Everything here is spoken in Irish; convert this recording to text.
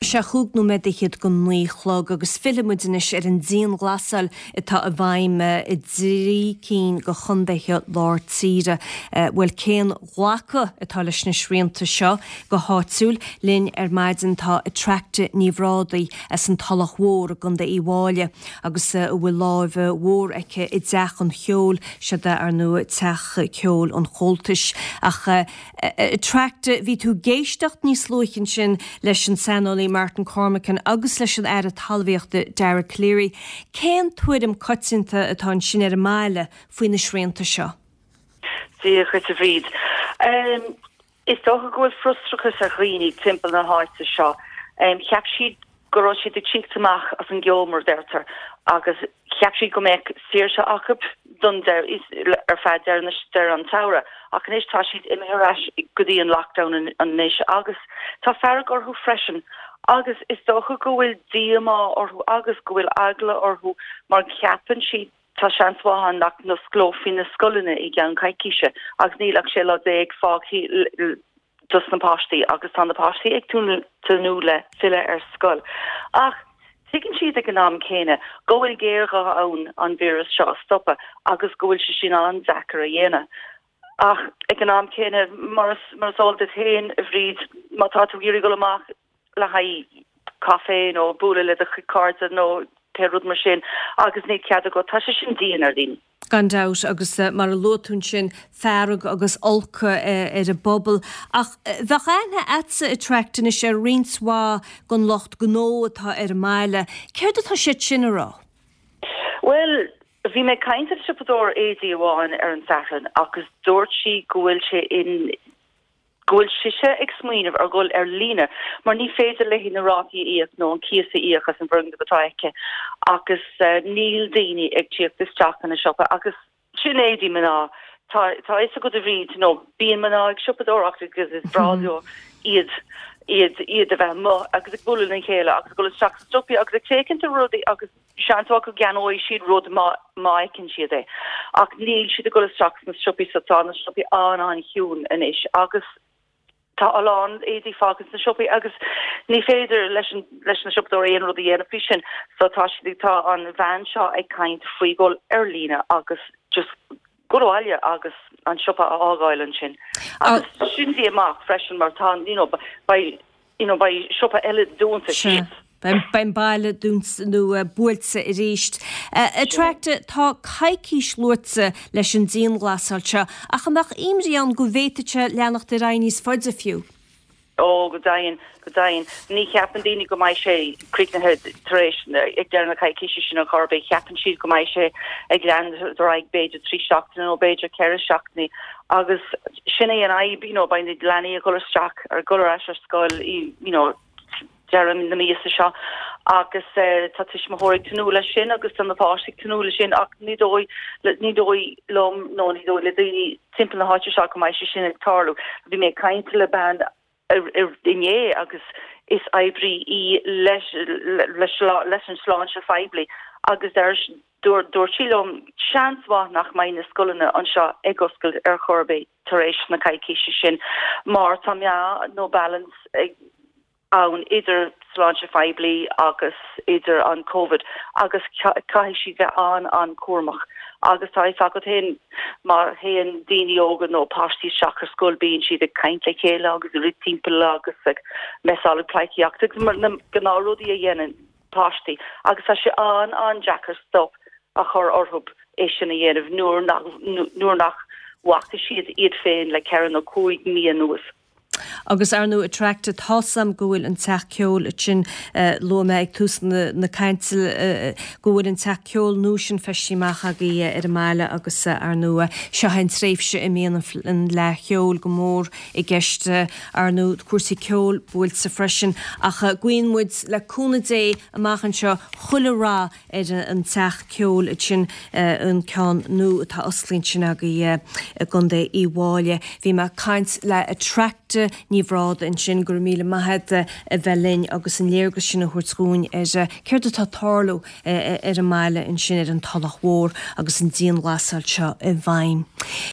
Sé chúig nóiméad fhichead go 9 a chlog agus fillfidh muid anois ar an dianghlasáil atá i bhfeidhm i dtrí cinn de chontaetha lár tíre. Bhuel, cén glacadh atá leis na srianta seo go háitiúil? Linn ar maidin tá Attracta Ní Bhrádaigh as an Tulach Mhór i gContae Uíbh Fhailí agus a bhfuil láimh mhór aici i dTeach an Cheoil, siod é ar ndóigh Teach Ceoil an Chomhaltais. Ach Attracta, bhí tú ag éisteacht níos luaithe ansin leis an saineolaí Martin Cormican agus leis an Aire Talmhaíochta Dara Calleary. Cén tuairim coitianta atá ansin ar an mbaile faoi na srianta seo? Dia dhuit a Bhríd. Is dócha go bhfuil frustrachas ar dhaoine timpeall na háite seo. Cheap siad go raibh siad ag tíocht amach as an gceo, mar a deirtear, agus cheap siad go mbeadh saoirse acu don ar feadh deireadh na deireadh an tsamhraidh. Ach anois tá siad imithe ar ais go dtí an lockdown anois agus tá fearg orthu freisin agus is dócha go bhfuil díomá orthu agus go bhfuil eagla orthu mar ceapann siad tá seans mhaith ann nach n-osclófaí na scoileanna i gceann coicíse agus níl ach 16 lá fágtha dos na páistí agus tá na páistí ag tnúth le filleadh ar scoil. Ach tuigeann siad ag an am céanna go bhfuil géarghá ann an víreas seo a stopadh agus go bhfuil sé sin an-deacair a dhéanamh. Ach ag an am céanna, mar is eol duit féin, a Bhríd, má tá tú ag iarraidh dul amach le haghaidh caife nó bualadh le do chuid cairde nó pé rud mar sin agus níl cead agat, tá sé sin dian ar dhaoine. Gan dabht, agus mar a luaigh tú ansin, fearg agus olc ar an bpobal. Ach bheadh aithne a'dsa, Attracta, anois ar roinnt mhaith den lucht gnó atá ar an mbaile. Céard atá siad sin a rá? Bhuel, bhí mé ag caint le siopadóir éadaí amháin ar an Satharn agus dúirt sí go bhfuil sé in, go bhfuil sise ag smaoineamh ar dhul ar líne mar ní féidir léi na rátaí a íoc nó an cíos a íoc as an bhfoirgneamh atá aici agus níl daoine ag tíocht isteach ina siopa agus sin éadaí mná. Tá tá fhios agat a Bhríd nó bíonn mná ag siopadóireacht agus is breá leo iad iad iad a bheith amuigh agus ag bualadh lena chéile agus ag dul isteach sa siopaí agus ag féachaint ar rudaí agus Seans mhaith go gceannóidh siad rud má má fheiceann siad é. Ach níl siad ag dul isteach sna siopaí so tá na siopaí an-an-chiúin anois agus tá a lán éadaí fágtha sna siopaí agus ní féidir leis an leis na siopadóirí aon rud a dhéanamh faoi sin. So tá siad tá an bhean seo ag caint faoi dhul ar líne agus just dul abhaile agus an siopa a fhágáil ansin. Agus sin díomách freisin mar tá you know beidh you know beidh siopa eile dúnta Sea. síos. Beidh an baile dúnta nó buailte arís. Attracta, tá coicís luaite leis an dianghlasáil seo, ach an mbeadh imní ann go bhféadfadh sé leanacht ar aghaidh níos faide fiú? Ó, go deimhin, go deimhin. Ní cheapann daoine go mbeidh sé críochnaithe tar éis, ag deireadh na coicíse sin ar chor ar bith. Ceapann siad go mbeidh sé ag leanúint ar aghaidh b'fhéidir 3 seachtaine nó b'fhéidir 4 seachtainí agus sin é an fhadhb, you know, beidh na leanaí ag dul isteach, ag dul ar ais ar scoil, you know, deireadh na míosa seo agus tá tuismitheoirí ag tnúth leis sin agus tá na páistí ag tnúth leis sin ach ní dóigh ní dóigh liom nó ní dóigh le daoine timpeall na háite seo go mbeidh sé sin ag tarlú. Bhí mé ag caint le bean inné agus is oibrí í leis leis leis an sláinte phoiblí agus deir dúirt sí liom seans mhaith nach mbeidh na scoileanna anseo ag oscailt ar chor ar bith tar éis na coicíse sin mar tá meá nó balance ag ann idir sláinte phoiblí agus idir an Covid agus caithfidh siad bheith an-an-chúramach agus tá fhios agat féin má théann daoine óga nó páistí isteach ar scoil bíonn siad ag caint le chéile agus ag rith timpeall agus ag messáil ag pleidhcíocht agus na gnáthrudaí a dhéanann páistí agus tá sé an-an-deacair stop a chur orthu é sin a dhéanamh nuair nach nuair nach bhfaca siad iad féin le ceithre nó 5 mí anuas. Agus ar ndóigh Attracta, tá's a'm go bhfuil an teach ceoil sin, luaigh mé ag tús na cainte go bhfuil an teach ceoil nua sin feistithe amach agaibh ar an mbaile agus ar ndóigh seo é an tréimhse a mbíonn an Fhleadh Cheoil go mór i gceist ar ndóigh cúrsaí ceoil buailte freisin ach guíonn muid le cúnamh Dé amach anseo chuile rath ar an teach ceoil sin, an ceann nua atá osclaithe ansin agaibh i gContae Uíbh Fhailí. Bhí mé ag caint le Attracta Ní Bhrádaigh ansin, go raibh míle maith agat a bheith linn agus an léargas sin a thabhairt dhúinn ar céard atá ag tarlú ar an mbaile ansin ar an Tulach Mhór agus an dianghlasáil seo i bhfeidhm.